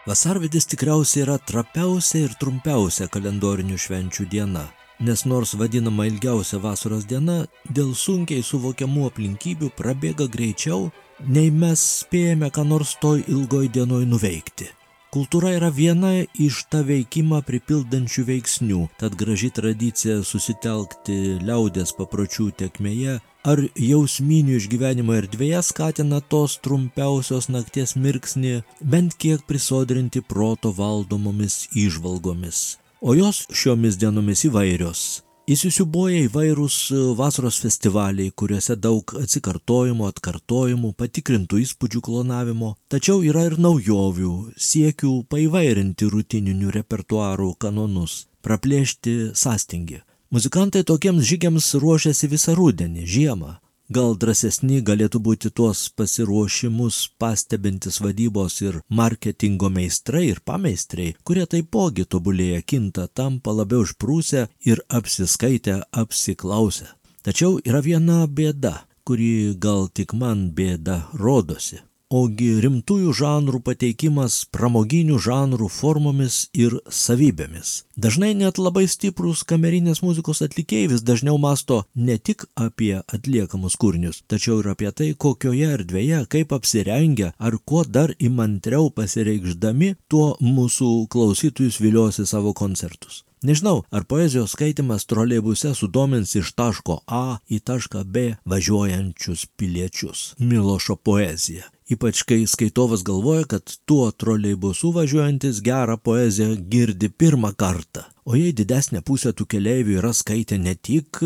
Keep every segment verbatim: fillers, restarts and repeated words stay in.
Vasarvidis tikriausiai yra trapiausia ir trumpiausia kalendorinių švenčių diena, nes nors vadinama ilgiausia vasaros diena, dėl sunkiai suvokiamų aplinkybių prabėga greičiau, nei mes spėjame ką nors toj ilgoj dienoj nuveikti. Kultūra yra viena iš tą veikimą pripildančių veiksnių, tad graži tradicija susitelkti liaudės papročių tekmėje ar jausminių išgyvenimo erdvėje skatina tos trumpiausios nakties mirksnį bent kiek prisodrinti proto valdomomis įžvalgomis. O jos šiomis dienomis įvairios. Įsisiubuoja įvairūs vasaros festivaliai, kuriuose daug atsikartojimų, atkartojimų, patikrintų įspūdžių klonavimo, tačiau yra ir naujovių, siekių paįvairinti rutininių repertuarų kanonus, praplėšti sąstingį. Muzikantai tokiems žygiams ruošiasi visą rudenį, žiemą. Gal drąsesni galėtų būti tuos pasiruošimus pastebintis vadybos ir marketingo meistrai ir pameistriai, kurie taipogi tobulėja, kinta, tampa labiau išprūsę ir apsiskaitę, apsiklausę. Tačiau yra viena bėda, kuri gal tik man bėda rodosi. Ogi rimtųjų žanrų pateikimas pramoginių žanrų formomis ir savybėmis. Dažnai net labai stiprūs kamerinės muzikos atlikėjai vis dažniau masto ne tik apie atliekamus kūrinius, tačiau ir apie tai, kokioje erdvėje, kaip apsirengę ar kuo dar įmantriau pasireikšdami, tuo mūsų klausytojus viliosi savo koncertus. Nežinau, ar poezijos skaitimas troleibuse sudomins iš taško A į tašką B važiuojančius piliečius. Milošo poezija. Ypač kai skaitovas galvoja, kad tuo troleibusu važiuojantis gerą poeziją girdi pirmą kartą. O jei didesnė pusė tų keleivių yra skaitę ne tik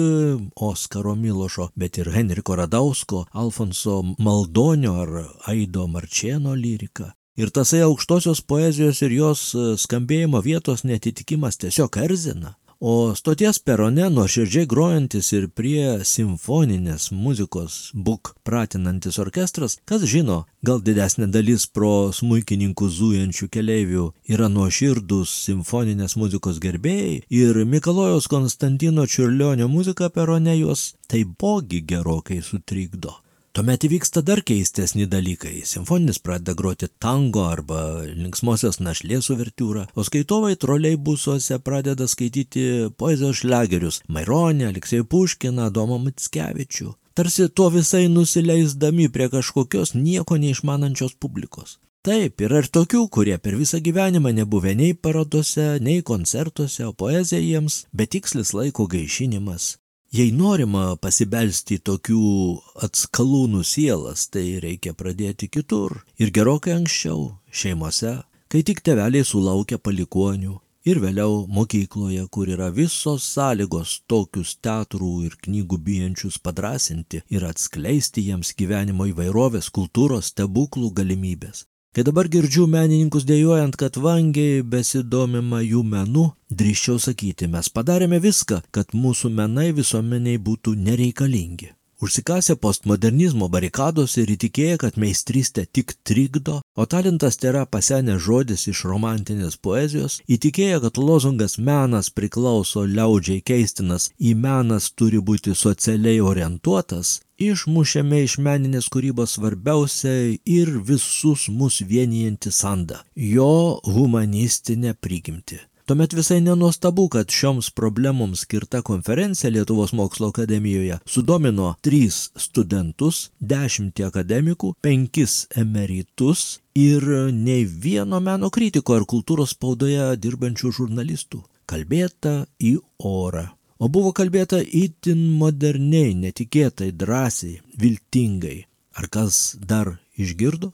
Oskaro Milošo, bet ir Henriko Radausko, Alfonso Maldonio ar Aido Marčėno lyriką. Ir tasai aukštosios poezijos ir jos skambėjimo vietos netitikimas tiesiog erzina. O stoties perone nuoširdžiai grojantis ir prie simfoninės muzikos būk pratinantis orkestras, kas žino, gal didesnė dalis pro smuikininkų zujančių keleivių yra nuoširdūs simfoninės muzikos gerbėjai ir Mikalojaus Konstantino Čiurlionio muzika perone juos taipogi gerokai sutrikdo. Tuomet įvyksta dar keistesni dalykai. Simfoninis pradeda groti tango arba linksmosios našlės uvertiūrą, o skaitovai troleibusuose pradeda skaityti poezijos šliagerius Maironį, Aleksejų Puškiną, Adomą Mickevičių. Tarsi tuo visai nusileisdami prie kažkokios nieko neišmanančios publikos. Taip, yra ir tokių, kurie per visą gyvenimą nebuvę nei parodose, nei koncertuose, o poezija jiems betikslis laiko gaišinimas. Jei norima pasibelsti į tokių atskalūnų sielas, tai reikia pradėti kitur ir gerokai anksčiau, šeimose, kai tik tėveliai sulaukia palikuonių ir vėliau mokykloje, kur yra visos sąlygos tokius teatrų ir knygų bijančius padrąsinti ir atskleisti jiems gyvenimo įvairovės, kultūros, stebuklų galimybės. Kai dabar girdžiu menininkus dejuojant, kad vangiai besidomima jų menu, drįsčiau sakyti, mes padarėme viską, kad mūsų menai visuomeniai būtų nereikalingi. Užsikasė postmodernizmo barikadose ir įtikėję, kad meistrystė tik trikdo, o talentas tėra pasenęs žodis iš romantinės poezijos, įtikėję, kad lozungas menas priklauso liaudžiai keistinas, į menas turi būti socialiai orientuotas, išmušėme iš meninės kūrybos svarbiausią ir visus mus vienijantį sandą – jo humanistinę prigimtį. Tuomet visai nenuostabu, kad šioms problemoms skirta konferencija Lietuvos mokslo akademijoje sudomino tris studentus, dešimtį akademikų, penkis emeritus ir nei vieno meno kritiko ar kultūros spaudoje dirbančių žurnalistų. Kalbėta į orą. O buvo kalbėta itin moderniai, netikėtai, drąsiai, viltingai. Ar kas dar išgirdo?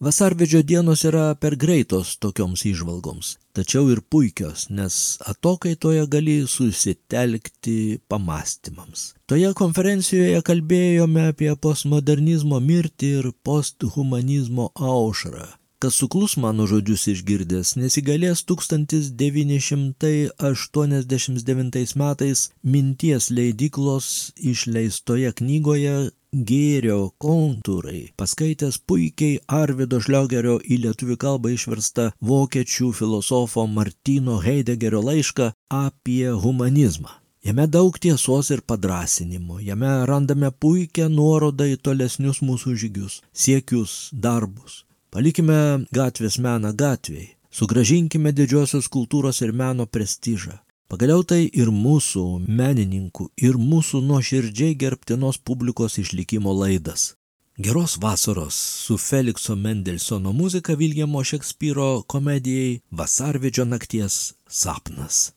Vasarvidžio dienos yra per greitos tokioms įžvalgoms, tačiau ir puikios, nes atokaitoje gali susitelkti pamastymams. Toje konferencijoje kalbėjome apie postmodernizmo mirtį ir posthumanizmo aušrą. Kas suklus mano žodžius išgirdęs, nesigalės tūkstantis devyni šimtai aštuoniasdešimt devintais metais Minties leidyklos išleistoje knygoje Gėrio kontūrai, paskaitęs puikiai Arvydo Šliogerio į lietuvių kalbą išverstą vokiečių filosofo Martyno Heidegerio laišką apie humanizmą. Jame daug tiesos ir padrąsinimo, jame randame puikią nuorodą į tolesnius mūsų žygius, siekius, darbus. Palikime gatvės meną gatvėj, Sugrąžinkime didžiosios kultūros ir meno prestižą. Pagaliau tai ir mūsų menininkų, ir mūsų nuoširdžiai gerbtinos publikos išlikimo laidas. Geros vasaros su Felikso Mendelsono muzika Viljamo Šekspyro komedijai Vasarvidžio nakties sapnas.